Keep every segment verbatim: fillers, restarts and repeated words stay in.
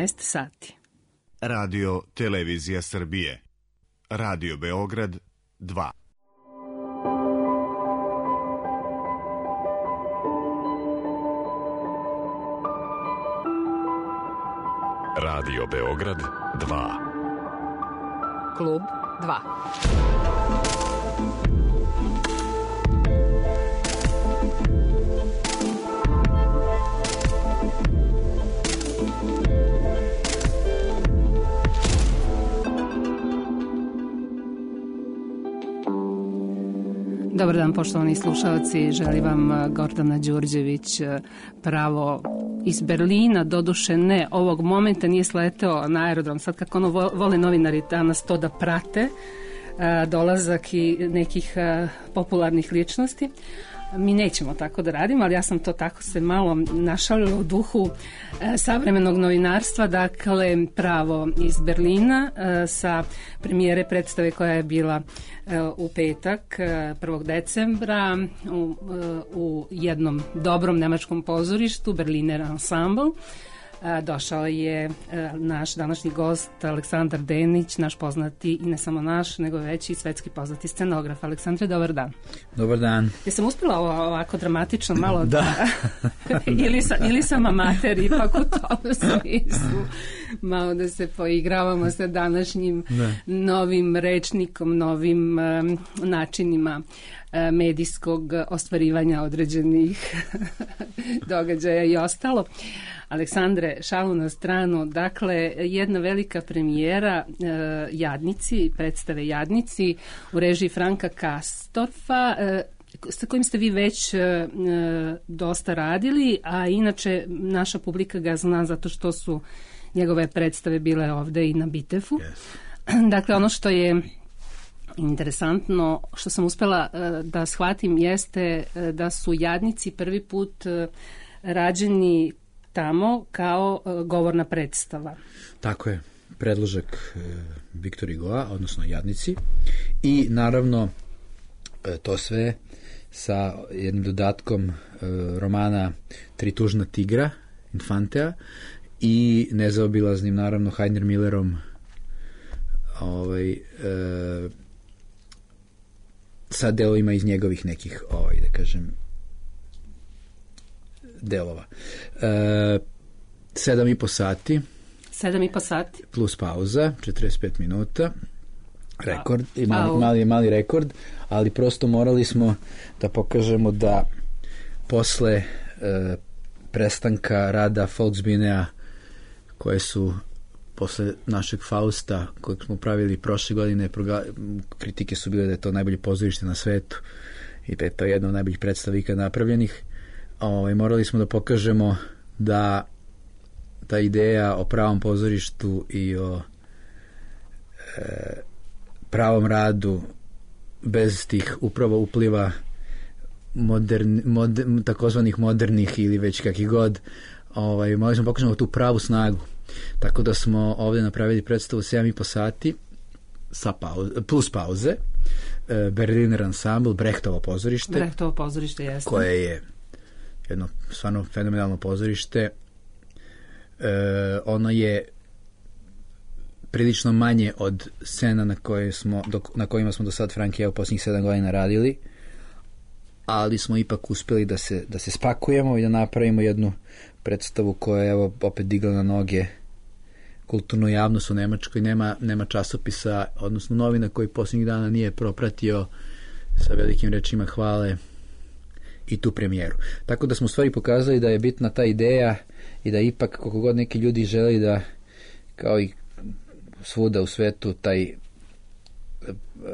jedanaest sati. Radio Televizija Srbije. Radio Beograd dva. Radio Beograd dva. Klub dva. Dobar dan, poštovani slušalci, želi vam Gordana Đurđević pravo iz Berlina, doduše ne, ovog momenta nije sleteo na aerodrom, sad kako ono vole novinari danas to da prate, dolazak i nekih popularnih ličnosti. Mi nećemo tako da radimo, ali ja sam to tako se malo našalila u duhu e, savremenog novinarstva, dakle pravo iz Berlina e, sa premijere predstave koja je bila e, u petak e, prvog decembra u, e, u jednom dobrom nemačkom pozorištu, Berliner Ensemble. Došao je naš današnji gost Aleksandar Denić, naš poznati i ne samo naš, nego već i svetski poznati scenograf. Aleksandre, dobar dan. Dobar dan. Jesam uspjela ovako dramatično malo da, da ili, sa, ili sam amater ipak u tom smislu malo da se poigravamo sa današnjim ne. novim rečnikom, novim um, načinima um, medijskog ostvarivanja određenih događaja i ostalo. Aleksandre, šalu na stranu, dakle jedna velika premijera uh, Jadnici, predstave Jadnici u režiji Franka Kastorfa, uh, sa kojim ste vi već uh, dosta radili, a inače naša publika ga zna zato što su njegove predstave bile ovde i na Bitefu. Yes. Dakle, ono što je interesantno, što sam uspela uh, da shvatim, jeste uh, da su Jadnici prvi put uh, rađeni tamo kao uh, govorna predstava. Tako je, predložak uh, Viktor Hugoa, odnosno Jadnici, i naravno uh, to sve sa jednim dodatkom uh, romana Tri tužna tigra, Infantea, i nezaobilaznim naravno Heiner Millerom ovaj, uh, sa delovima iz njegovih nekih, ovaj, da kažem, delova. E, sedam i po sati. Sedam i po sati. Plus pauza, četrdeset pet minuta. Rekord, i mali, mali, mali rekord, ali prosto morali smo da pokažemo da posle e, prestanka rada Volksbühnea, koje su posle našeg Fausta, kojeg smo pravili prošle godine, kritike su bile da je to najbolje pozorište na svetu i da je to jedna od najboljih predstava ikad napravljenih. Ovaj, morali smo da pokažemo da ta ideja o pravom pozorištu i o e, pravom radu bez tih upravo upliva modern, modern, takozvanih modernih ili već kakih god, ovaj, morali smo pokažemo tu pravu snagu. Tako da smo ovdje napravili predstavu sedam i po sati sa pauze, plus pauze, e, Berliner Ensemble, Brechtovo pozorište. Brechtovo pozorište, jeste. Koje je jedno stvarno fenomenalno pozorište. E, ono je prilično manje od scena na, koje smo, do, na kojima smo do sad Frankija u posljednjih sedam godina radili, ali smo ipak uspjeli da se, da se spakujemo i da napravimo jednu predstavu koja je evo, opet digla na noge kulturnu javnost u Nemačkoj. Nema, nema časopisa, odnosno novina koji posljednjih dana nije propratio sa velikim rečima hvale i tu premijeru. Tako da smo u stvari pokazali da je bitna ta ideja i da ipak koliko god neki ljudi želi da, kao i svuda u svetu, taj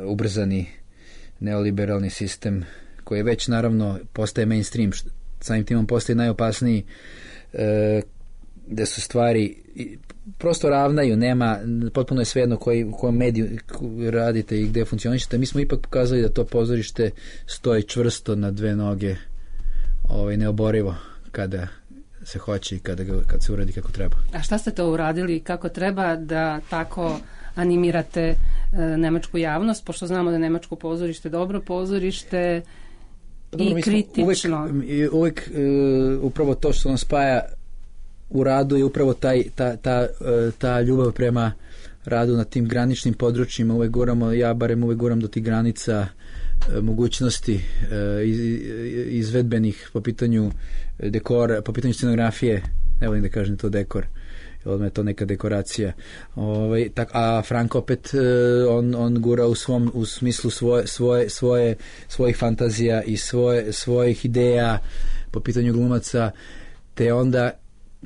ubrzani neoliberalni sistem koji je već naravno postaje mainstream, samim timom postaje najopasniji, e, da su stvari prosto ravnaju, nema, potpuno je svejedno koji, u kojem mediju radite i gde funkcionišete. Mi smo ipak pokazali da to pozorište stoji čvrsto na dve noge, ovaj, neoborivo kada se hoće i kada ga, kad se uradi kako treba. A šta ste to uradili kako treba da tako animirate e, nemačku javnost, pošto znamo da je nemačko pozorište dobro pozorište i dobro, kritično. Uvijek, uvijek uh, upravo to što nam spaja u radu je upravo taj, ta, ta, ta ljubav prema radu na tim graničnim područjima. Uvek guramo, ja barem uvek guram do tih granica mogućnosti izvedbenih po pitanju dekora, po pitanju scenografije, ne volim da kažem to dekor, odmah je to neka dekoracija. Ovaj, tak, a Frank opet on, on gura u svom u smislu svoje, svoje, svoje, svojih fantazija i svoje, svojih ideja po pitanju glumaca, te onda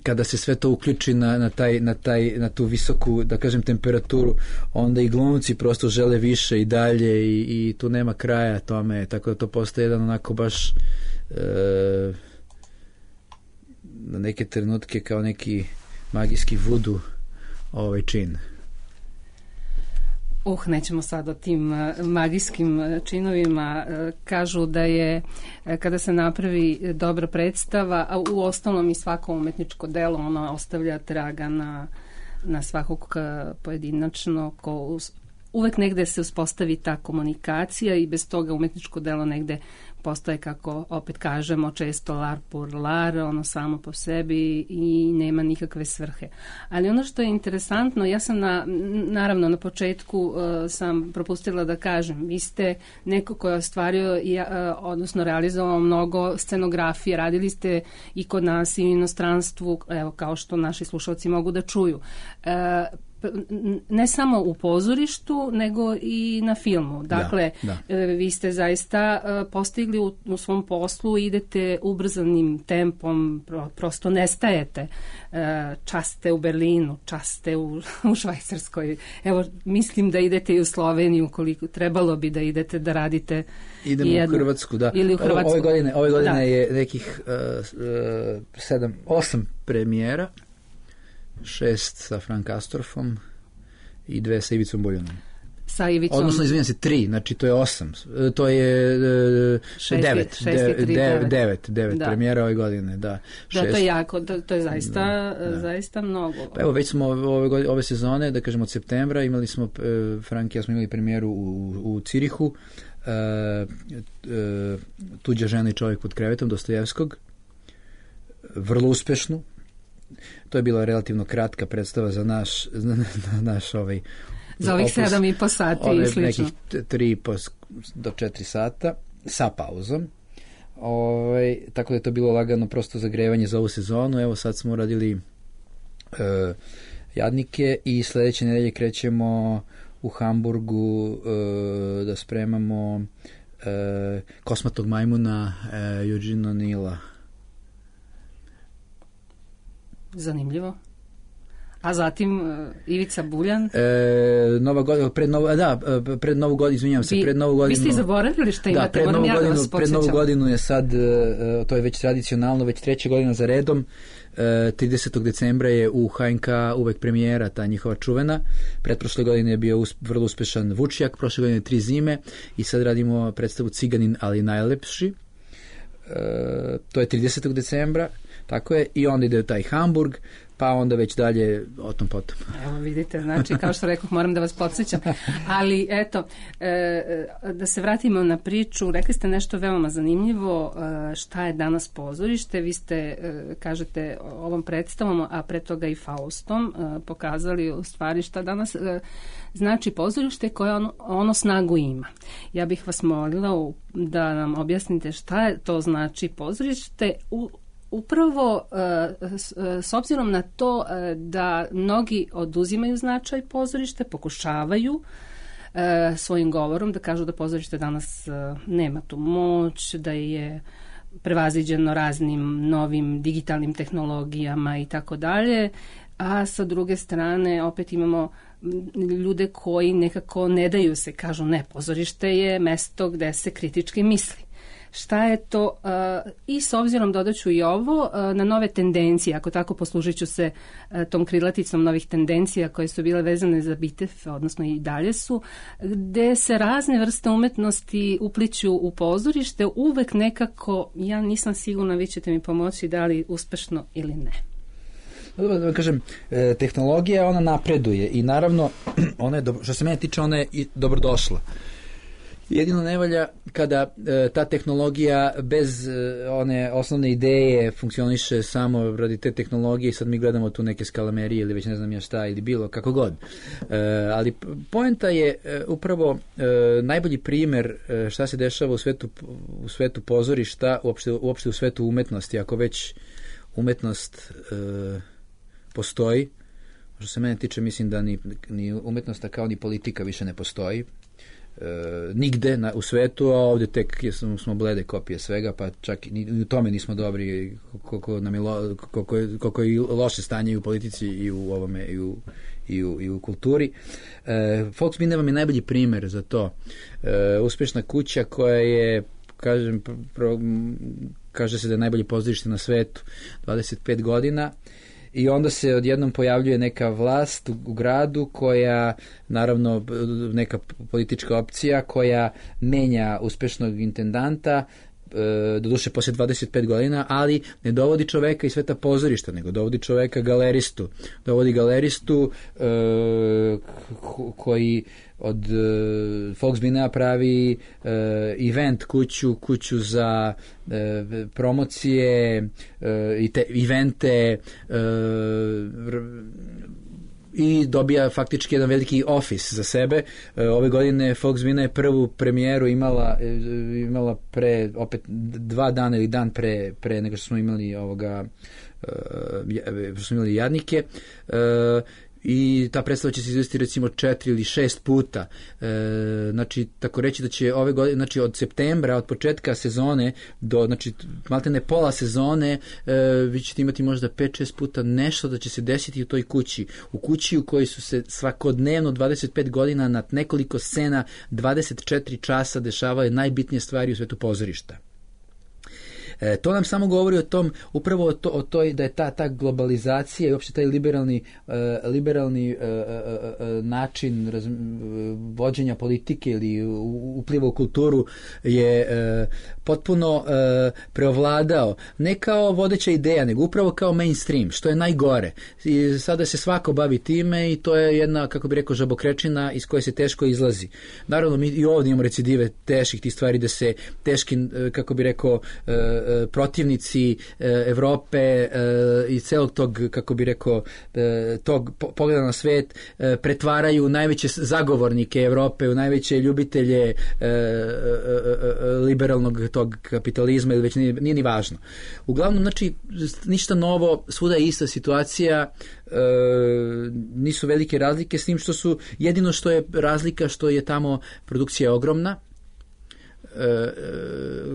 kada se sve to uključi na, na, taj, na, taj, na tu visoku, da kažem, temperaturu, onda i glumci prosto žele više i dalje i, i tu nema kraja tome, tako da to postaje jedan onako baš e, na neke trenutke kao neki magijski vudu ovaj čin. Uh, nećemo sad o tim magijskim činovima. Kažu da je kada se napravi dobra predstava, a u ostalom i svako umetničko delo, ono ostavlja traga na, na svakog pojedinačno, ko uvek negde se uspostavi ta komunikacija i bez toga umetničko delo negde postaje, kako opet kažemo često, lar pour lar, ono samo po sebi i nema nikakve svrhe. Ali ono što je interesantno, ja sam na, naravno na početku uh, sam propustila da kažem, vi ste neko ko je ostvario i, uh, odnosno realizovao mnogo scenografije, radili ste i kod nas i u inostranstvu, evo kao što naši slušalci mogu da čuju. Uh, ne samo u pozorištu, nego i na filmu. Dakle, da, da. Vi ste zaista postigli u, u svom poslu, idete ubrzanim tempom, prosto nestajete. Čas ste u Berlinu, čas ste u, u Švajcarskoj. Evo, mislim da idete i u Sloveniju, koliko trebalo bi da idete da radite. Idemo jedno, u Hrvatsku, da. Ili u Hrvatsku. Ove godine, ove godine da. je nekih uh, uh, sedam, osam premijera, šest sa Frank Astorfom i dve sa Ivicom Buljanom. Sa Ivicom... Odnosno, izvinjam se, tri, znači to je osam. To je uh, šesti, devet, šesti, de, tri, de, devet. devet, devet da. premijera ove godine, da. Da, to je jako, to, to je zaista, da, da. zaista mnogo. Pa evo, već smo ove, godine, ove sezone, da kažemo od septembra, imali smo, uh, Frank i ja smo imali premijeru u, u Cirihu, uh, uh, Tuđa žena i čovjek pod krevetom, Dostojevskog, vrlo uspešnu. To je bila relativno kratka predstava za naš, za naš ovaj... Za ovih sedam i po sati i slično. Nekih tri do četiri sata sa pauzom. Ovaj, tako da je to bilo lagano prosto zagrevanje za ovu sezonu. Evo sad smo radili uh, Jadnike i sledeće nedelje krećemo u Hamburgu uh, da spremamo uh, Kosmatog majmuna uh, Eugene O'Neilla. Zanimljivo. A zatim uh, Ivica Buljan? E, Nova godina, pred novu, da, pred novu godinu, izvinjavam se, vi, pred novu godinu. Vi ste i zaboravili šta imate, da, pred moram ja da godinu, vas pred novu godinu je sad, to je već tradicionalno, već treća godina za redom, tridesetog decembra je u H N K uvek premijera, ta njihova čuvena. Pretprošle godine je bio us, vrlo uspešan Vučjak, prošle godine Tri zime i sad radimo predstavu Ciganin, ali najlepši. E, to je tridesetog decembra. Tako je, i onda ide taj Hamburg, pa onda već dalje o tom potom. Evo vidite, znači kao što rekoh, moram da vas podsjećam. Ali eto, e, da se vratimo na priču, rekli ste nešto veoma zanimljivo, e, šta je danas pozorište, vi ste, e, kažete, ovom predstavom, a pre toga i Faustom, e, pokazali u stvari šta danas e, znači pozorište koje ono, ono snagu ima. Ja bih vas molila da nam objasnite šta je to znači pozorište u upravo s obzirom na to da mnogi oduzimaju značaj pozorište, pokušavaju svojim govorom da kažu da pozorište danas nema tu moć, da je prevaziđeno raznim novim digitalnim tehnologijama i tako dalje, a sa druge strane opet imamo ljude koji nekako ne daju se, kažu ne, pozorište je mesto gde se kritički misli. Šta je to, uh, i s obzirom dodaću i ovo, uh, na nove tendencije, ako tako poslužit ću se uh, tom krilaticom novih tendencija koje su bile vezane za Bitev, odnosno i dalje su, gde se razne vrste umetnosti upliću u pozorište, uvek nekako, ja nisam sigurna, vi ćete mi pomoći da li uspešno ili ne. Dobro, da kažem, tehnologija ona napreduje i naravno, ona je dobro, što se mene tiče, ona je i dobrodošla. Jedino ne valja kada e, ta tehnologija bez e, one osnovne ideje funkcioniše samo radi te tehnologije i sad mi gledamo tu neke skalamerije ili već ne znam ja šta ili bilo, kako god. E, ali poenta je e, upravo e, najbolji primer e, šta se dešava u svetu, u svetu pozorišta, uopšte, uopšte u svetu umetnosti. Ako već umetnost e, postoji, što se mene tiče, mislim da ni, ni umetnost kao ni politika više ne postoji. E, nigde na, u svetu, a ovdje tek smo, smo blede kopije svega, pa čak i u tome nismo dobri, koliko, nam je, lo, koliko, je, koliko je loše stanje i u politici i u ovome i u, i u, i u kulturi. E, Folksbiene vam je najbolji primjer za to. E, uspješna kuća koja je, kažem, pro, kaže se da je najbolje pozorište na svetu, dvadeset pet godina. I onda se odjednom pojavljuje neka vlast u, u gradu koja, naravno, neka politička opcija koja menja uspešnog intendanta, e, doduše poslije dvadeset pet godina, ali ne dovodi čoveka iz sveta pozorišta, nego dovodi čoveka galeristu. Dovodi galeristu e, koji od uh, Folksbienea pravi uh, event kuću, kuću za uh, promocije uh, i te evente uh, i dobija faktički jedan veliki office za sebe. Uh, ove godine Folksbiene je prvu premijeru imala uh, imala pre opet dva dana ili dan pre, pre nego što smo imali ovoga uh, što smo imali Jadnike. Uh, i ta predstava će se izvesti recimo četiri ili šest puta. E, znači, tako reći da će ove godine, znači od septembra, od početka sezone do, znači, maltene pola sezone, e, vi ćete imati možda pet šest puta nešto da će se desiti u toj kući. U kući u kojoj su se svakodnevno dvadeset pet godina na nekoliko scena, dvadeset četiri časa dešavaju najbitnije stvari u svetu pozorišta. E, to nam samo govori o tom, upravo o, to, o toj da je ta, ta globalizacija i uopšte taj liberalni, e, liberalni e, e, način raz, vođenja politike ili upliva u kulturu je e, potpuno e, preovladao. Ne kao vodeća ideja, nego upravo kao mainstream, što je najgore. I sada se svako bavi time i to je jedna, kako bi rekao, žabokrečina iz koje se teško izlazi. Naravno, mi i ovdje imamo recidive teških tih stvari da se teški, kako bi rekao, e, protivnici Evrope i celog tog, kako bi rekao, tog pogleda na svet pretvaraju najveće zagovornike Evrope u najveće ljubitelje liberalnog tog kapitalizma ili već nije, nije ni važno. Uglavnom, znači, ništa novo, svuda je ista situacija, nisu velike razlike, s tim što su, jedino što je razlika što je tamo produkcija ogromna.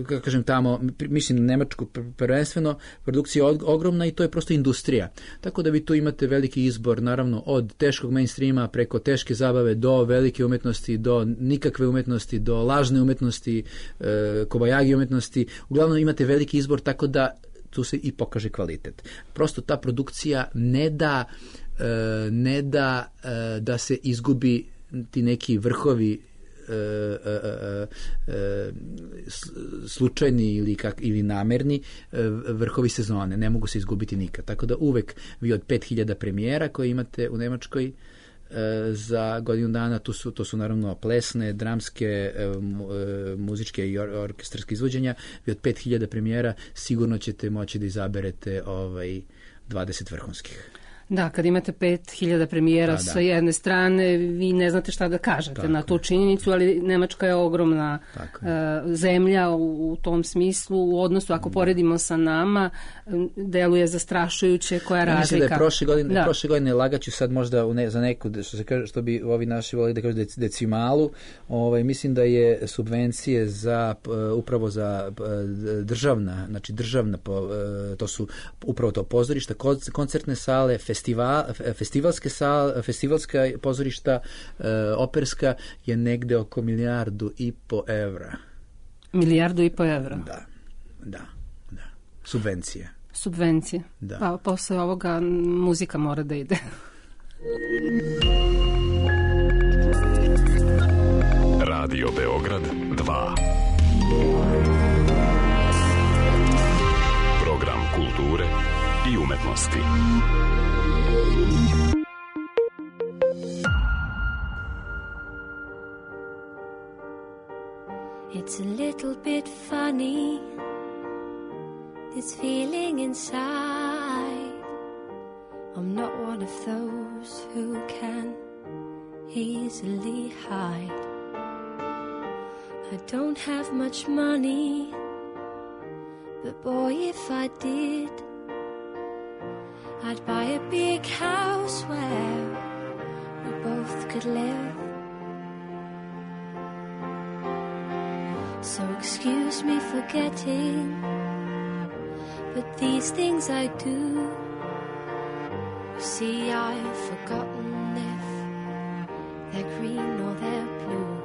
Kako kažem tamo, mislim na Nemačku prvenstveno, produkcija je ogromna i to je prosto industrija. Tako da vi tu imate veliki izbor, naravno, od teškog mainstreama preko teške zabave do velike umetnosti, do nikakve umetnosti, do lažne umetnosti, kobajagi umetnosti. Uglavnom imate veliki izbor, tako da tu se i pokaže kvalitet. Prosto ta produkcija ne da ne da da se izgubi ti neki vrhovi slučajni ili, kak, ili namerni vrhovi sezone, ne mogu se izgubiti nikad. Tako da uvek vi od pet hiljada premijera koje imate u Nemačkoj za godinu dana, to su, to su naravno plesne, dramske, muzičke i or, orkestarske izvođenja, vi od pet hiljada premijera sigurno ćete moći da izaberete ovaj, dvadeset vrhunskih. Da, kad imate pet hiljada premijera da, da. sa jedne strane, vi ne znate šta da kažete tako na tu činjenicu, ali Nemačka je ogromna uh, zemlja u, u tom smislu. U odnosu, ako poredimo sa nama, deluje zastrašujuće koja ja razlika. Mislim da je prošle godine, da. prošle godine lagaću sad možda u ne, za neku, što, se kaže, što bi ovi naši volili da kažu decimalu, ovaj, mislim da je subvencije za, upravo za državna, znači državna, to su upravo to pozorišta, koncertne sale, festivalske Festival, festivalske sal, festivalska pozorišta, e, operska je negde oko milijardu i po evra. Milijardu i po evra? Da, da, da. Subvencije. Subvencije. Da. Pa posle ovoga muzika mora da ide. Radio Beograd dva. Program kulture i umetnosti. It's a little bit funny, this feeling inside. I'm not one of those who can easily hide. I don't have much money, but boy, if I did, I'd buy a big house where we both could live. So excuse me for getting, but these things I do. You see, I've forgotten if they're green or they're blue.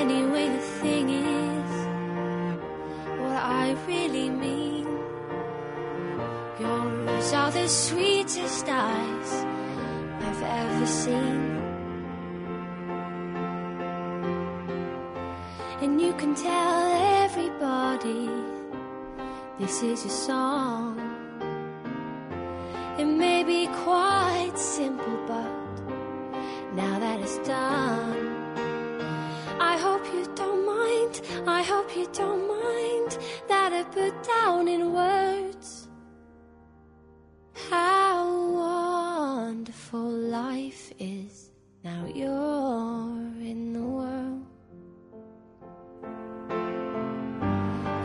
Anyway, the thing is, what I really mean, yours are the sweetest eyes I've ever seen. And you can tell everybody this is your song. It may be quite simple, but now that it's done, I hope you don't mind, I hope you don't mind that I put down in words how wonderful life is now you're in the world.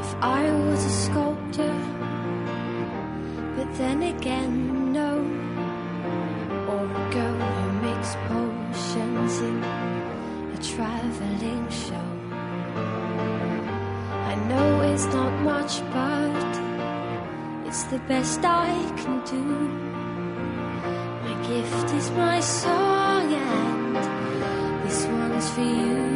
If I was a sculptor, but then again, no, or a girl who makes potions in a traveling show. I know it's not much, but it's the best I can do. My gift is my song, and this one's for you.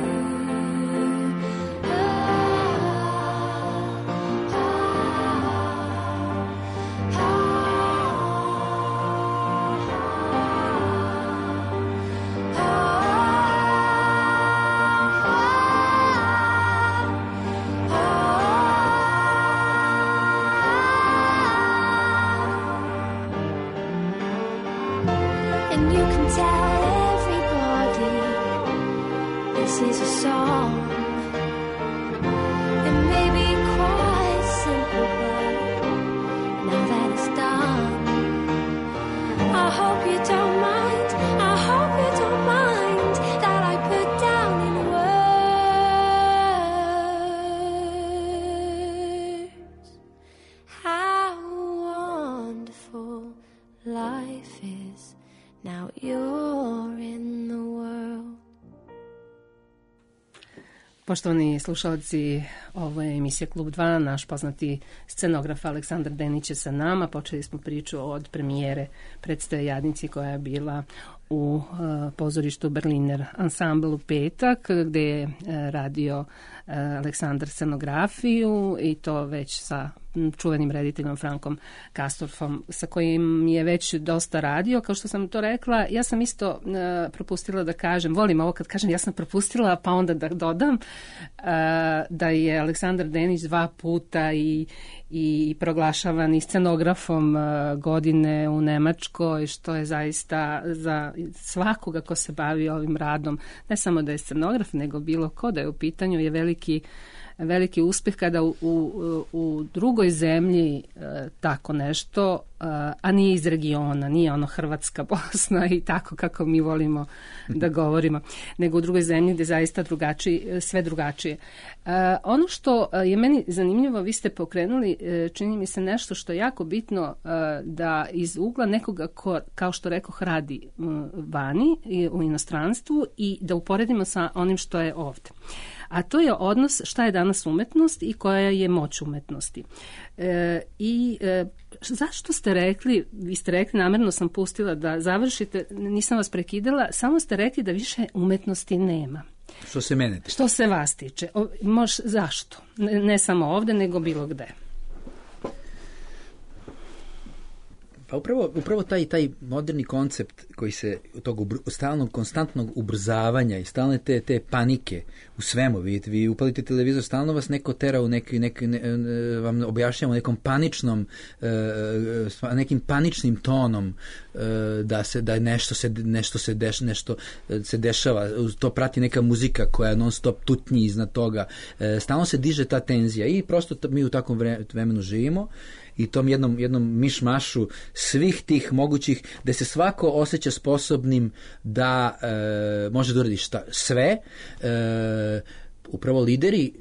Poštovani slušalci, ovo je emisija Klub dva, naš poznati scenograf Aleksandar Denić je sa nama. Počeli smo priču od premijere predstave Jadnici koja je bila u uh, pozorištu Berliner Ensemble u petak, gde je uh, radio uh, Aleksandar scenografiju i to već sa čuvenim rediteljom Frankom Kastorfom, sa kojim je već dosta radio. Kao što sam to rekla, ja sam isto uh, propustila da kažem, volim ovo kad kažem ja sam propustila, pa onda da dodam uh, da je Aleksandar Denić dva puta i, i proglašavan i scenografom uh, godine u Nemačkoj, što je zaista za svakoga ko se bavi ovim radom, ne samo da je scenograf, nego bilo ko da je u pitanju, je veliki veliki uspeh kada u, u, u drugoj zemlji e, tako nešto, e, a nije iz regiona, nije ono Hrvatska, Bosna i tako kako mi volimo da govorimo, nego u drugoj zemlji gde zaista drugačije, sve drugačije. E, ono što je meni zanimljivo, vi ste pokrenuli, e, čini mi se nešto što je jako bitno, e, da iz ugla nekoga ko, kao što rekoh, radi m, vani i u inostranstvu i da uporedimo sa onim što je ovde. A to je odnos šta je danas umetnost i koja je moć umetnosti. E, I e, zašto ste rekli, vi ste rekli, namerno sam pustila da završite, nisam vas prekidala, samo ste rekli da više umetnosti nema. Što se mene tiče? Što se vas tiče. O, mož, zašto? Ne, ne samo ovde, nego bilo gde. A upravo, upravo taj, taj moderni koncept koji se tog ubr, stalnog, konstantnog ubrzavanja i stalne te, te panike u svemu, vi, vi upalite televizor, stalno vas neko tera u neki, neki ne, vam objašnjamo nekom paničnom, nekim paničnim tonom da se da nešto se nešto se deš, nešto se dešava, to prati neka muzika koja non stop tutnji iznad toga, stalno se diže ta tenzija i prosto mi u takvom vremenu živimo i tom jednom, jednom mišmašu svih tih mogućih, da se svako osjeća sposobnim da e, može da uradi šta, sve. E, upravo lideri,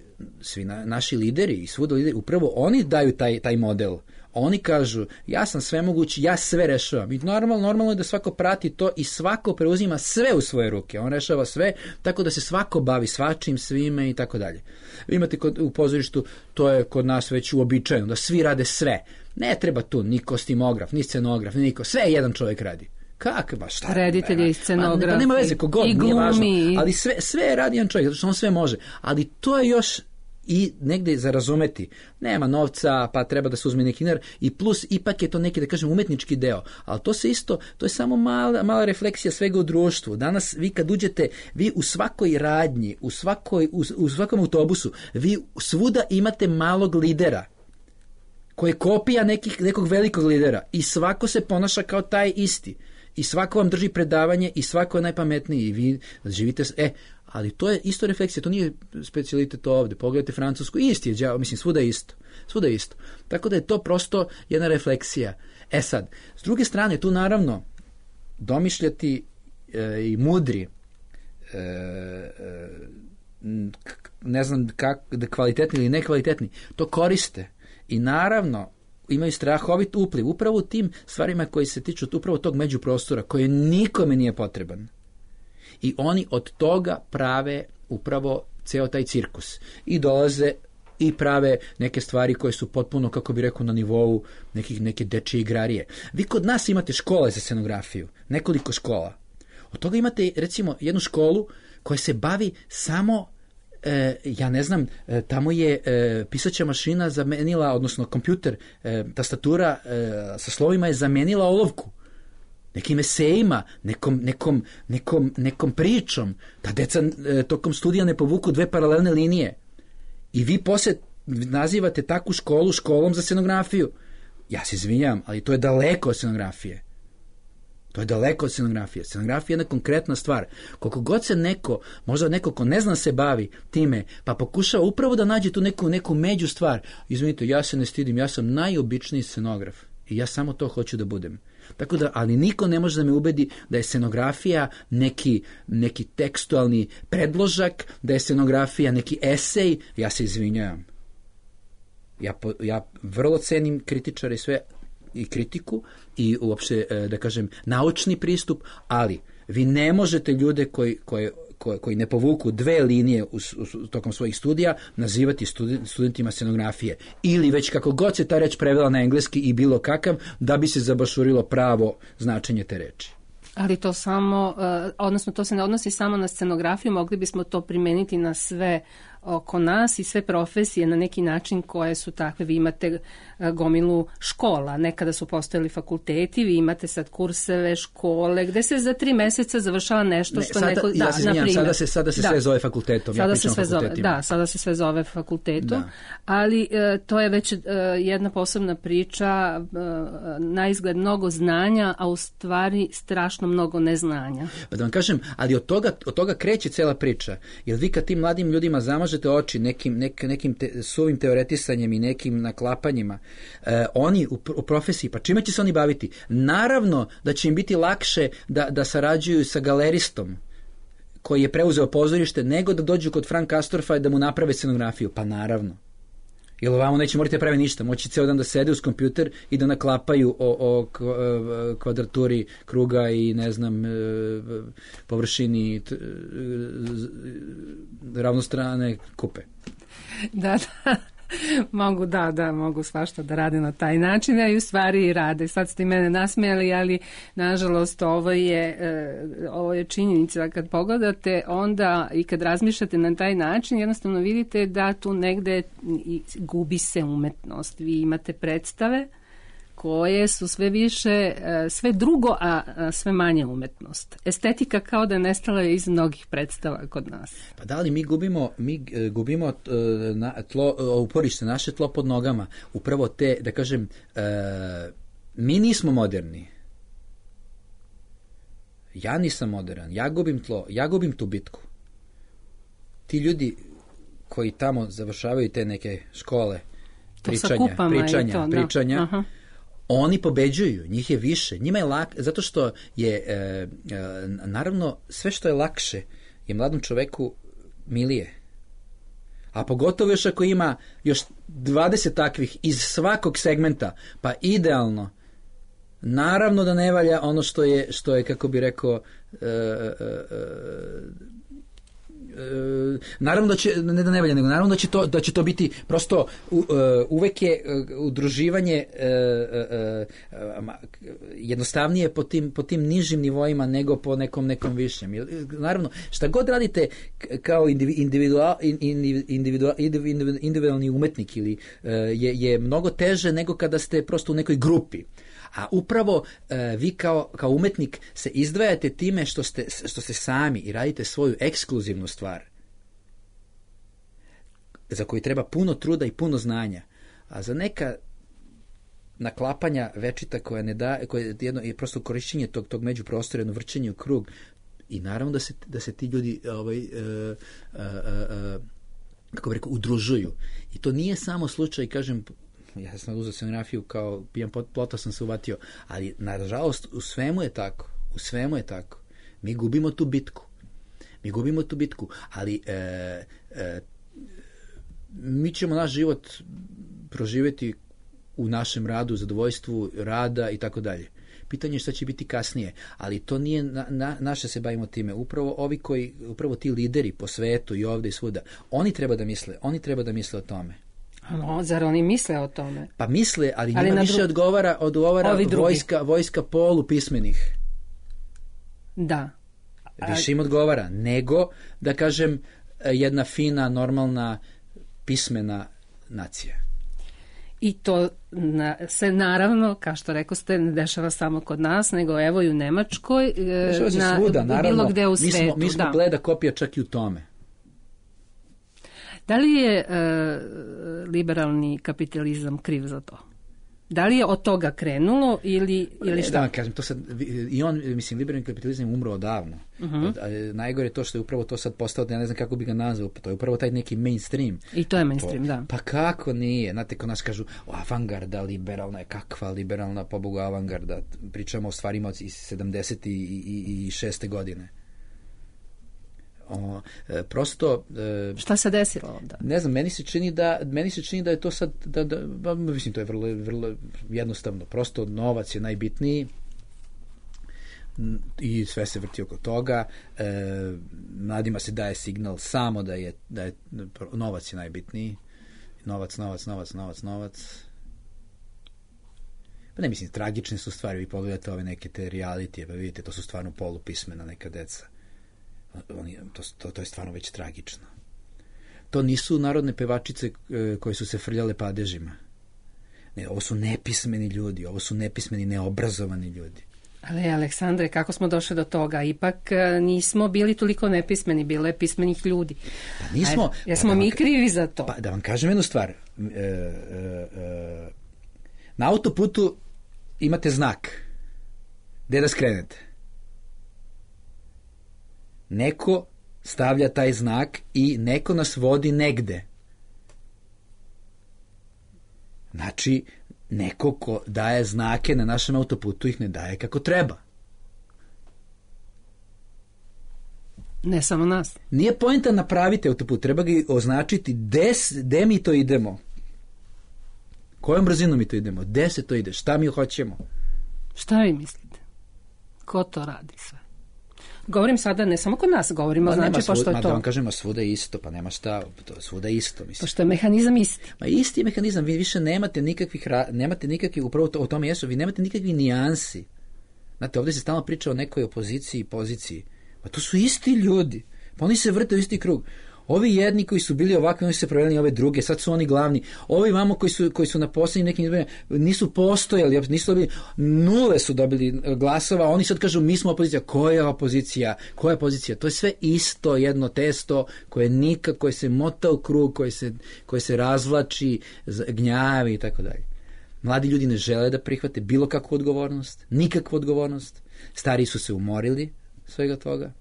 svi na, naši lideri i svuda lideri, upravo oni daju taj, taj model. Oni kažu, ja sam svemogući, ja sve rešavam. I normalno, normalno je da svako prati to i svako preuzima sve u svoje ruke. On rešava sve, tako da se svako bavi svačim, svime i tako dalje. Vi imate kod, u pozorištu, to je kod nas već uobičajeno, da svi rade sve. Ne treba tu ni kostimograf, ni scenograf, ni niko. Sve jedan čovjek radi. Kako baš šta? Reditelj i scenograf. Pa nema veze, kogod, i glumi. Nije važno. Ali sve, sve radi jedan čovjek, zato što on sve može. Ali to je još i negde za razumeti. Nema novca, pa treba da se uzme neki dinar i plus ipak je to neki, da kažem, umetnički deo. Ali to se isto, to je samo mala, mala refleksija svega u društvu. Danas vi kad uđete, vi u svakoj radnji, u, svakoj, u, u svakom autobusu, vi svuda imate malog lidera koji je kopija nekih, nekog velikog lidera i svako se ponaša kao taj isti. I svako vam drži predavanje i svako je najpametniji i vi živite... E, ali to je isto refleksija, to nije specijalitet ovde. Pogledajte Francusku, isti je đavo, mislim, svuda je isto. Svuda je isto. Tako da je to prosto jedna refleksija. E sad, s druge strane, tu naravno domišljati e, i mudri e, e, ne znam kak, da kvalitetni ili nekvalitetni, to koriste. I naravno, imaju strahovit upliv upravo u tim stvarima koji se tiču upravo tog međuprostora koji nikome nije potreban. I oni od toga prave upravo ceo taj cirkus. I dolaze i prave neke stvari koje su potpuno, kako bi rekao, na nivou nekih, neke dečije igrarije. Vi kod nas imate škole za scenografiju, nekoliko škola. Od toga imate, recimo, jednu školu koja se bavi samo, e, ja ne znam, e, tamo je e, pisaća mašina zamenila, odnosno kompjuter, e, tastatura e, sa slovima je zamenila olovku. Nekim esejima, nekom, nekom, nekom, nekom pričom, da deca e, tokom studija ne povuku dve paralelne linije. I vi posle nazivate takvu školu školom za scenografiju. Ja se izvinjam, ali to je daleko od scenografije. To je daleko od scenografije. Scenografija je jedna konkretna stvar. Koliko god se neko, možda neko ko ne zna se bavi time, pa pokušava upravo da nađe tu neku, neku među stvar. Izvinite, ja se ne stidim, ja sam najobičniji scenograf. I ja samo to hoću da budem. Tako da, ali niko ne može da me ubedi da je scenografija neki, neki tekstualni predložak, da je scenografija neki esej. Ja se izvinjam. Ja, ja vrlo cenim kritičare i sve, i kritiku i uopšte, da kažem, naučni pristup, ali vi ne možete ljude koji, koji, koji, koji ne povuku dve linije u, u, tokom svojih studija nazivati studen, studentima scenografije. Ili već kako god se ta reč prevela na engleski i bilo kakav, da bi se zabašurilo pravo značenje te reči. Ali to samo, odnosno to se ne odnosi samo na scenografiju, mogli bismo to primeniti na sve oko nas i sve profesije na neki način koje su takve. Vi imate gomilu škola, nekada su postojali fakulteti, vi imate sad kurseve, škole, gde se za tri meseca završava nešto što ne, sada, neko... Ja da, se izvinjam, sada se, sada se da. sve zove fakultetom. Sada ja se sve zove, da, sada se sve zove fakultetom, da. ali e, to je već e, jedna posebna priča, e, na izgled mnogo znanja, a u stvari strašno mnogo neznanja. Pa da vam kažem, ali od toga, od toga kreće cela priča, jer vi kad tim mladim ljudima zamažete oči nekim, nek, nekim te, suvim teoretisanjem i nekim naklapanjima, e, oni u, u profesiji, pa čime će se oni baviti? Naravno da će im biti lakše da, da sarađuju sa galeristom koji je preuzeo pozorište, nego da dođu kod Frank Castorfa i da mu naprave scenografiju. Pa naravno. Jer ovamo neće morati pravi ništa. Moći ceo dan da sede uz kompjuter i da naklapaju o, o kvadraturi kruga i ne znam površini ravnostrane kupe. Da, da. Mogu, da, da, mogu svašta da rade na taj način, a i u stvari i rade. Sad ste i mene nasmijali, ali nažalost ovo je, ovo je činjenica. Kad pogledate onda i kad razmišljate na taj način, jednostavno vidite da tu negde gubi se umetnost. Vi imate predstave koje su sve više, sve drugo, a sve manje umetnost. Estetika kao da je nestala iz mnogih predstava kod nas. Pa da li mi gubimo, mi gubimo na tlo, uporište, naše tlo pod nogama, upravo te, da kažem, mi nismo moderni. Ja nisam modern, ja gubim tlo, ja gubim tu bitku. Ti ljudi koji tamo završavaju te neke škole, pričanja, pričanja, to, pričanja, no. Oni pobeđuju, njih je više, njima je lak, zato što je, e, e, naravno, sve što je lakše je mladom čoveku milije. A pogotovo još ako ima još dvadeset takvih iz svakog segmenta, pa idealno, naravno da ne valja ono što je, što je kako bi rekao, e, e, e, Uh, naravno da će, ne da ne valja, nego naravno da će to, da će to biti prosto uh, uvek je uh, udruživanje uh, uh, uh, jednostavnije po tim, po tim nižim nivoima nego po nekom nekom višem. Naravno, šta god radite kao individual, individual, individual, individualni umetnik ili uh, je, je mnogo teže nego kada ste prosto u nekoj grupi. A upravo e, vi kao, kao umetnik se izdvajate time što ste, što ste sami i radite svoju ekskluzivnu stvar za koju treba puno truda i puno znanja. A za neka naklapanja večita koja ne da, koja je, jedno, je prosto korišćenje tog, tog međuprostora, jedno vrćenje u krug i naravno da se, da se ti ljudi ovaj, e, e, e, kako bih rekao, udružuju. I to nije samo slučaj, kažem, ja sam uzeo scenografiju kao pijan plota sam se uvatio, ali nažalost u svemu je tako, u svemu je tako. Mi gubimo tu bitku. Mi gubimo tu bitku, ali e, e, mi ćemo naš život proživjeti u našem radu, zadovoljstvu rada i tako dalje. Pitanje je šta će biti kasnije, ali to nije na, na, naše se bavimo time. Upravo ovi koji, upravo ti lideri po svetu i ovde i svuda, oni treba da misle, oni treba da misle o tome. No, zar oni misle o tome? Pa misle, ali, ali njima više dru... odgovara, odgovara vojska, vojska polupismenih. Da. Više im odgovara, nego, da kažem, jedna fina, normalna, pismena nacija. I to na, se naravno, kao što rekao ste, ne dešava samo kod nas, nego evo i u Nemačkoj, dešava se na, svuda, naravno, bilo gde u mi svetu. Smo, mi smo da. bleda kopija čak i u tome. Da li je e, liberalni kapitalizam kriv za to? Da li je od toga krenulo ili, ili šta? Da vam kažem, to sad, i on, mislim, liberalni kapitalizam je umro odavno. Uh-huh. A, najgore je to što je upravo to sad postao, ja ne znam kako bi ga nazvao, to je upravo taj neki mainstream. I to je mainstream, to, da. Pa kako nije? Znate, ko nas kažu, o, avangarda liberalna je, kakva liberalna, pobogu avangarda. Pričamo o stvarima iz sedamdeset i šeste godine. O, e, prosto e, šta se desilo onda? Ne znam, meni se čini da meni se čini da je to sad da, da, da mislim to je vrlo, vrlo jednostavno, prosto novac je najbitniji i sve se vrti oko toga. E, mladima se daje signal samo da je, da je novac je najbitniji. Novac, novac, novac, novac, novac. Pa ne mislim, tragične su stvari, vi pogledate ove neke te realitije, pa vidite, to su stvarno polupismena neka deca. Oni, to, to, to je stvarno već tragično. To nisu narodne pevačice e, koje su se frljale padežima. Ne, ovo su nepismeni ljudi, ovo su nepismeni, neobrazovani ljudi. Ali, Aleksandre, kako smo došli do toga? Ipak nismo bili toliko nepismeni, bilo je pismenih ljudi. Pa nismo. Ajde, jesmo pa mi vam, krivi za to? Pa da vam kažem jednu stvar. E, e, e, na autoputu imate znak. Gde da skrenete? Neko stavlja taj znak i neko nas vodi negde. Znači, neko ko daje znake na našem autoputu ih ne daje kako treba. Ne samo nas. Nije poenta napraviti autoput, treba ga označiti gde mi to idemo. Kojom brzinom mi to idemo, gde se to ide, šta mi hoćemo. Šta vi mislite? Ko to radi sve? Govorim sada ne samo kod nas, govorimo, pa znači pošto je to. Ma da vam kažemo, svuda je isto, pa nema šta, to, svuda je isto. Mislim. Pošto je mehanizam isti. Ma isti je mehanizam, vi više nemate nikakvih, nemate nikakvih, upravo to, o tome jesu, vi nemate nikakvih nijansi. Znate, ovdje se stalno priča o nekoj opoziciji i poziciji. Pa to su isti ljudi, pa oni se vrte u isti krug. Ovi jedni koji su bili ovakvi, oni su se proveli ove druge, sad su oni glavni. Ovi vamo koji su, koji su na posljednjim nekim izborima nisu postojali, nisu dobili, nule su dobili glasova, oni sad kažu mi smo opozicija. Koja je opozicija? Koja je opozicija? To je sve isto jedno testo koje nikako, koje se mota u krug, koje se, koje se razvlači, gnjavi i tako dalje. Mladi ljudi ne žele da prihvate bilo kakvu odgovornost, nikakvu odgovornost. Stariji su se umorili svega toga.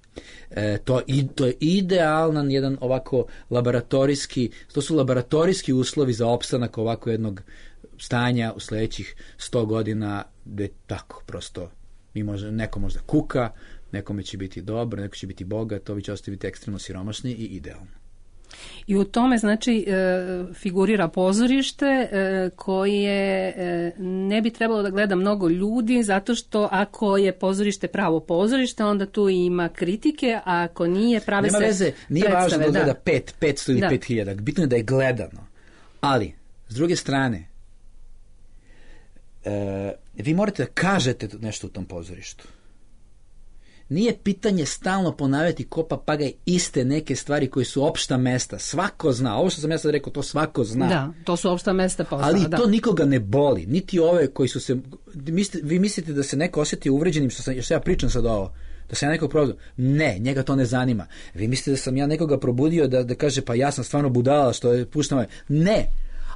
E, to, i, to je idealan jedan ovako laboratorijski, to su laboratorijski uslovi za opstanak ovako jednog stanja u sljedećih sto godina, gde tako prosto mi može, neko možda kuka, nekome će biti dobro, neko će biti bogat, ovi će ostaviti ekstremno siromašni i idealno. I u tome znači figurira pozorište koje ne bi trebalo da gleda mnogo ljudi, zato što ako je pozorište pravo pozorište, onda tu ima kritike, a ako nije, prave Nema se veze, nije predstave, važno da gleda da. pet, petsto ili Da. pet hiljada, bitno je da je gledano. Ali, s druge strane, e, vi morate da kažete nešto u tom pozorištu. Nije pitanje stalno ponavljati ko papagaj iste neke stvari koje su opšta mesta. Svako zna. Ovo što sam ja sad rekao, to svako zna. Da, to su opšta mesta posla. Ali da. to nikoga ne boli. Niti ove koji su se... Mislite, vi mislite da se neko osjeti uvređenim što, sam, što ja pričam sad ovo? Da sam ja nekog probudio? Ne, njega to ne zanima. Vi mislite da sam ja nekoga probudio da, da kaže pa ja sam stvarno budala što je puštam ovaj? Ne.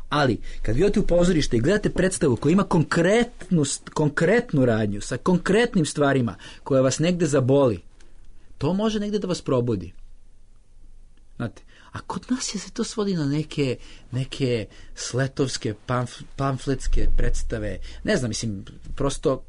Ali, kad vi odete u pozorište i gledate predstavu koja ima konkretnu, konkretnu radnju, sa konkretnim stvarima, koja vas negde zaboli, to može negde da vas probudi. Znate, a kod nas je se to svodi na neke, neke sletovske, pamf, pamfletske predstave. Ne znam, mislim, prosto,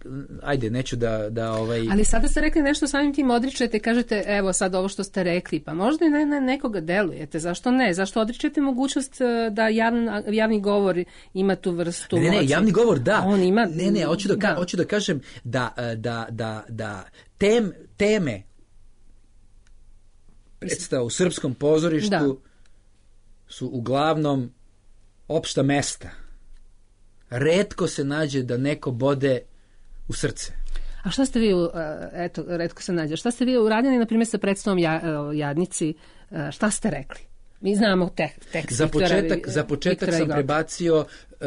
ajde, neću da... da ovaj... Ali sada ste rekli nešto samim tim odričete, kažete, evo sad ovo što ste rekli, pa možda i ne na nekoga delujete, zašto ne? Zašto odričete mogućnost da javni, javni govor ima tu vrstu Ne, ne, ne, moći? javni govor, da. On ima... Ne, ne, hoću da, da. hoću da kažem da, da, da, da tem, teme predstava u srpskom pozorištu Da. su uglavnom opšta mesta. Retko se nađe da neko bode u srce. A šta ste vi, uh, eto, retko se nađe, šta ste vi uradili, na primjer, sa predstavom ja, uh, Jadnici, uh, šta ste rekli? Mi znamo te, tekst Za Viktora, početak, za početak Viktora sam Igota. prebacio uh, uh,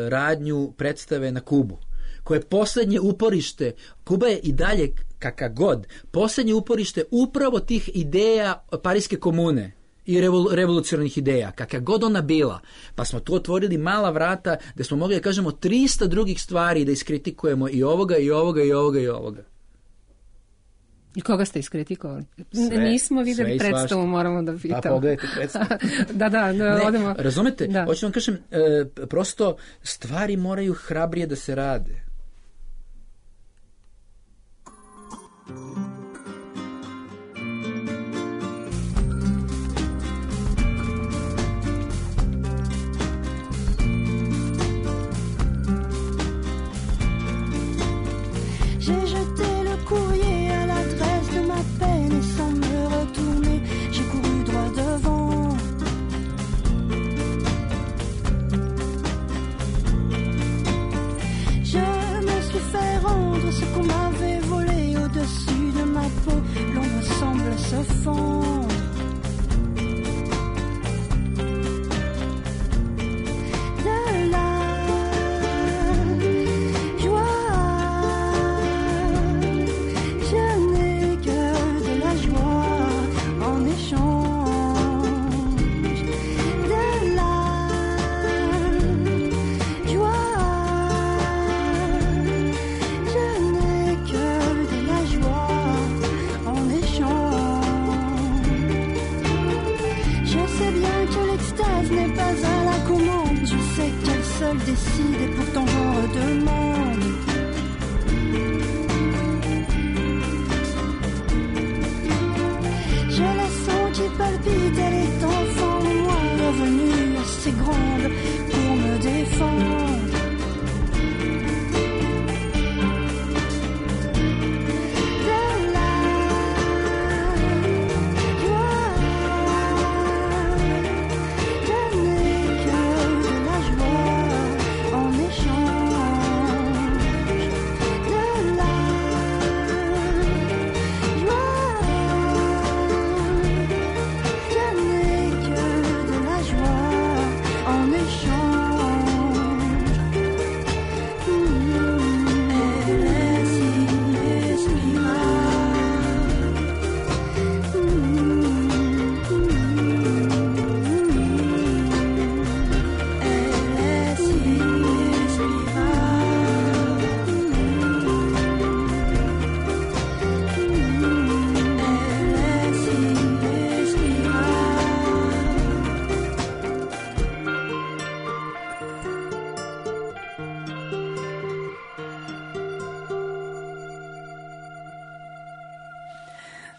radnju predstave na Kubu, koje je posljednje uporište. Kuba je i dalje, kakav god, posljednje uporište upravo tih ideja Pariske komune i revol, revolucionarnih ideja, kakav god ona bila. Pa smo tu otvorili mala vrata gde smo mogli da kažemo trista drugih stvari, da iskritikujemo i ovoga, i ovoga, i ovoga, i ovoga. I koga ste iskritikovali? Sve, Nismo sve videli i predstavu, svašta. moramo da pitamo. Pa pogledajte predstavu. da, da, da, Ne, odemo. razumete, Da. hoću vam kažem, e, prosto stvari moraju hrabrije da se rade. J'ai jeté le courrier à l'adresse de ma peine et sans me retourner, j'ai couru droit devant. Je me suis fait rendre ce qu'on m'avait volé au-dessus de ma peau. L'ombre semble se fondre. De la seul décide et pourtant j'en redemande. Je la sens qui palpite, elle est enfant, moi revenue assez grande pour me défendre.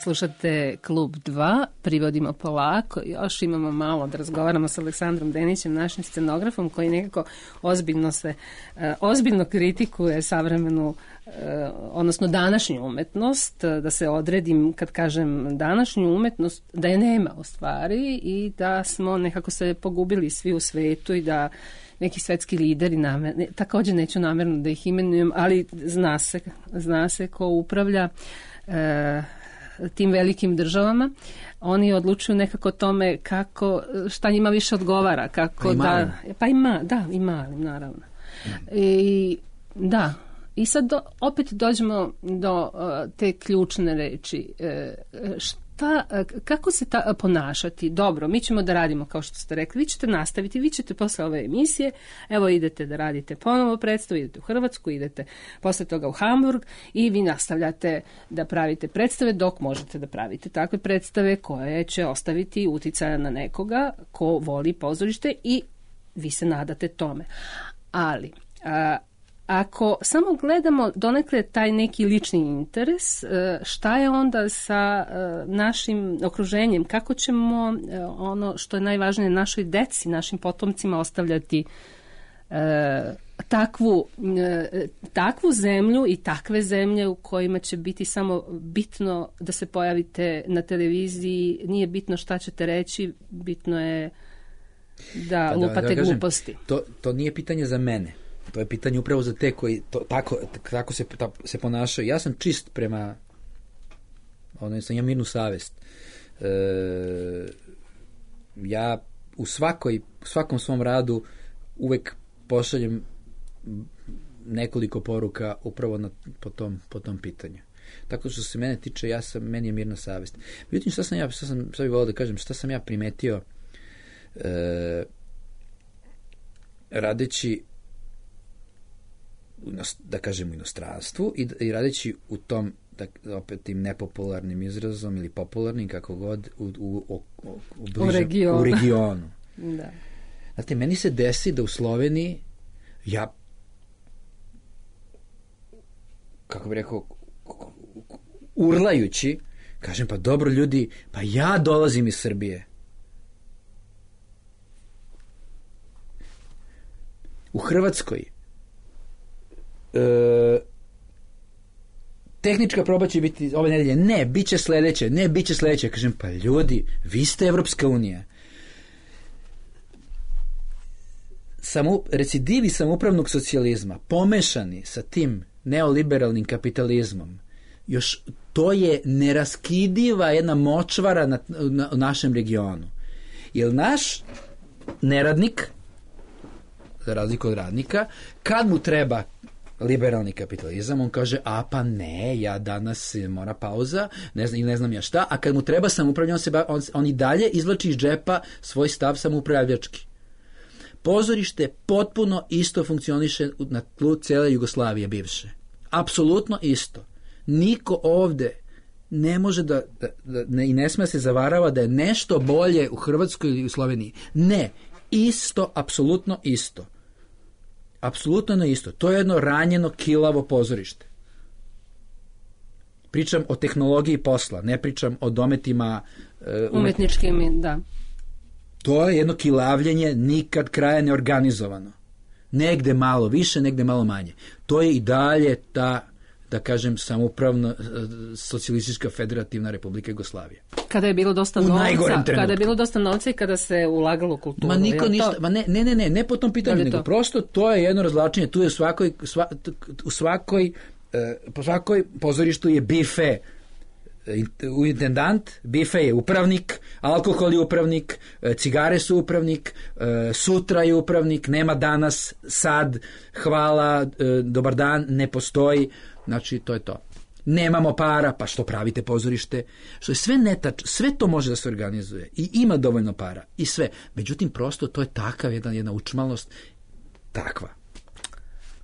Slušate Klub dva, privodimo polako, još imamo malo da razgovaramo sa Aleksandrom Denićem, našim scenografom, koji nekako ozbiljno se, ozbiljno kritikuje savremenu, odnosno današnju umetnost, da se odredim kad kažem današnju umetnost, da je nema u stvari i da smo nekako se pogubili svi u svetu i da neki svetski lideri, namer, također neću namjerno da ih imenujem, ali zna se, zna se ko upravlja e, tim velikim državama. Oni odlučuju nekako tome kako, šta njima više odgovara. Kako pa da, pa ima, da, i malim, naravno. I, da, i sad do, opet dođemo do uh, te ključne reči. E, šta, kako se ta, ponašati? Dobro, mi ćemo da radimo kao što ste rekli, vi ćete nastaviti, vi ćete posle ove emisije, evo idete da radite ponovo predstavu, idete u Hrvatsku, idete posle toga u Hamburg i vi nastavljate da pravite predstave dok možete da pravite takve predstave koje će ostaviti uticaja na nekoga ko voli pozorište i vi se nadate tome. Ali a, ako samo gledamo donekle taj neki lični interes, šta je onda sa našim okruženjem? Kako ćemo ono što je najvažnije našoj deci, našim potomcima ostavljati takvu, takvu zemlju i takve zemlje u kojima će biti samo bitno da se pojavite na televiziji, nije bitno šta ćete reći, bitno je da pa lupate da, da gluposti. To, to nije pitanje za mene. To je pitanje upravo za te koji to, tako, tako se, ta, se ponašaju. Ja sam čist prema, ono, sam ja mirnu savest. E, ja u, svakoj, u svakom svom radu uvek pošaljem nekoliko poruka upravo na, po, tom, po tom pitanju. Tako što se mene tiče, ja sam, meni je mirna savest. Međutim, šta sam ja, šta sam, šta bih volio da kažem, šta sam ja primetio e, radeći da kažem u inostranstvu i, i radeći u tom, da, opet tim nepopularnim izrazom ili popularnim, kako god, u, u, u, u, bližem, u regionu. U regionu. Da. Znate, meni se desi da u Sloveniji ja, kako bih rekao, urlajući, kažem, pa dobro ljudi, pa ja dolazim iz Srbije. U Hrvatskoj E, tehnička proba će biti ove nedelje, ne, bit će sledeće, ne, bit će sledeće. Kažem, pa ljudi, vi ste Evropska unija. Samo, recidivi samoupravnog socijalizma pomešani sa tim neoliberalnim kapitalizmom, još to je neraskidiva jedna močvara na, na, u našem regionu. Jer naš neradnik, za razliku od radnika, kad mu treba liberalni kapitalizam, on kaže, a pa ne, ja danas mora pauza, ne znam, ne znam ja šta, a kad mu treba samoupravljanje, on, se ba, on, on i dalje izvlači iz džepa svoj stav samoupravljački. Pozorište potpuno isto funkcioniše na tlu cele Jugoslavije bivše. Apsolutno isto. Niko ovde ne može da, da, da ne, i ne sme se zavarava da je nešto bolje u Hrvatskoj ili u Sloveniji. Ne, isto, apsolutno isto. Apsolutno na isto. To je jedno ranjeno, kilavo pozorište. Pričam o tehnologiji posla, ne pričam o dometima uh, umetničkim, da. To je jedno kilavljenje, nikad kraja neorganizovano. Negde malo više, negde malo manje. To je i dalje ta, da kažem, samoupravno socijalistička federativna Republika Jugoslavija. Kada je bilo dosta novca, kada je bilo dosta novca i kada se ulagalo u kulturu. Ma niko ništa, to... ma ne, ne, ne, ne, ne po tom pitanju, nego to? Prosto to je jedno razvlačenje, tu je u svakoj, sva, u svakoj, uh, po svakoj pozorištu je bife, u intendant, bife je upravnik, alkohol je upravnik, cigare su upravnik, sutra je upravnik, nema danas, sad, hvala, dobar dan, ne postoji. Znači, to je to. Nemamo para, pa što pravite pozorište? Što je sve netač, sve to može da se organizuje i ima dovoljno para i sve. Međutim, prosto to je takav jedna, jedna učmalost, takva.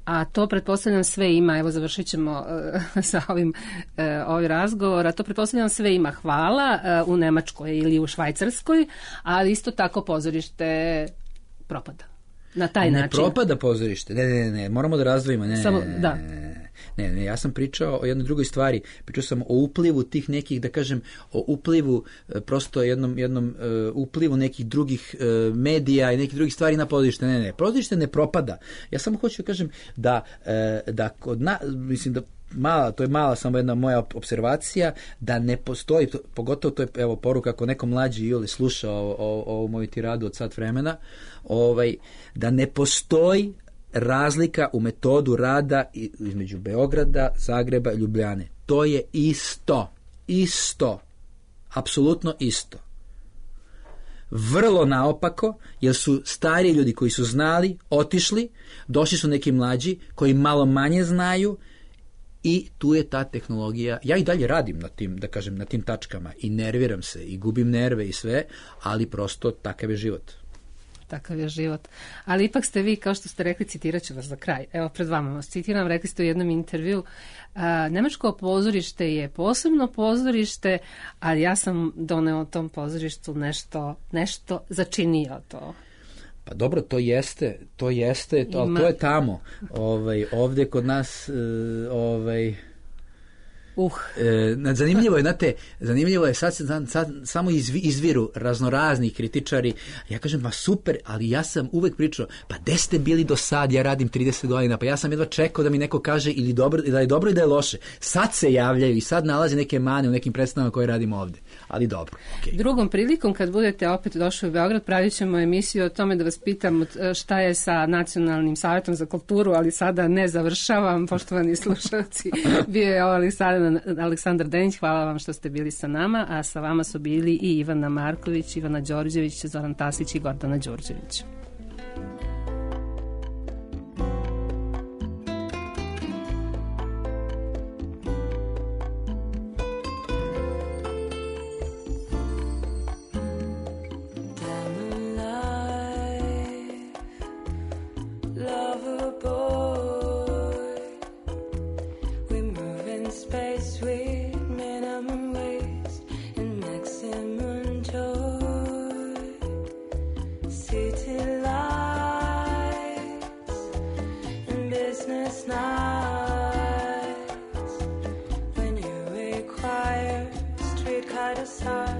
A to pretpostavljam sve ima, evo završit ćemo uh, sa ovim uh, ovaj razgovor, a to pretpostavljam sve ima hvala uh, u Nemačkoj ili u Švajcarskoj, ali isto tako pozorište propada. Na taj ne način. Ne propada pozorište, ne, ne, ne, moramo da razdvojimo. Ne, Samo, da. ne, ne, ja sam pričao o jednoj drugoj stvari. Pričao sam o uplivu tih nekih, da kažem, o uplivu, prosto jednom, jednom uh, uplivu nekih drugih uh, medija i nekih drugih stvari na pozorište. Ne, ne, pozorište ne propada. Ja samo hoću da kažem da, uh, da kod na, mislim da mala, to je mala samo jedna moja observacija, da ne postoji, to, pogotovo to je evo poruka ako neko mlađi ili sluša ovu moju tiradu od sat vremena, ovaj, da ne postoji razlika u metodu rada između Beograda, Zagreba i Ljubljane. To je isto. Isto. Apsolutno isto. Vrlo naopako, jer su stari ljudi koji su znali, otišli, došli su neki mlađi koji malo manje znaju i tu je ta tehnologija. Ja i dalje radim na tim, da kažem, na tim tačkama i nerviram se i gubim nerve i sve, ali prosto takav je život. Takav je život. Ali ipak ste vi, kao što ste rekli, citirat ću vas za kraj. Evo, pred vama vas citiram, rekli ste u jednom intervju, a, nemačko pozorište je posebno pozorište, ali ja sam doneo tom pozorištu nešto, nešto začinio to. Pa dobro, to jeste, to jeste, to, ali to je tamo. Ovaj, ovdje kod nas, ovaj... Uh. E, zanimljivo je, znate, zanimljivo je, sad, sad, sad samo izvi, izviru raznorazni kritičari, ja kažem, ma super, ali ja sam uvek pričao, pa gde ste bili do sad, ja radim trideset godina, pa ja sam jedva čekao da mi neko kaže ili dobro, da je dobro i da je loše. Sad se javljaju i sad nalaze neke mane u nekim predstavama koje radimo ovde, ali dobro. Okay. Drugom prilikom, kad budete opet došli u Beograd, pravit ćemo emisiju o tome da vas pitam šta je sa Nacionalnim savjetom za kulturu, ali sada ne završavam, poštovani slušalci, bio je ovo sada Aleksandar Denić, hvala vam što ste bili sa nama, a sa vama su bili i Ivana Marković, Ivana Đorđević, Zoran Tasić i Gordana Đurđević. Side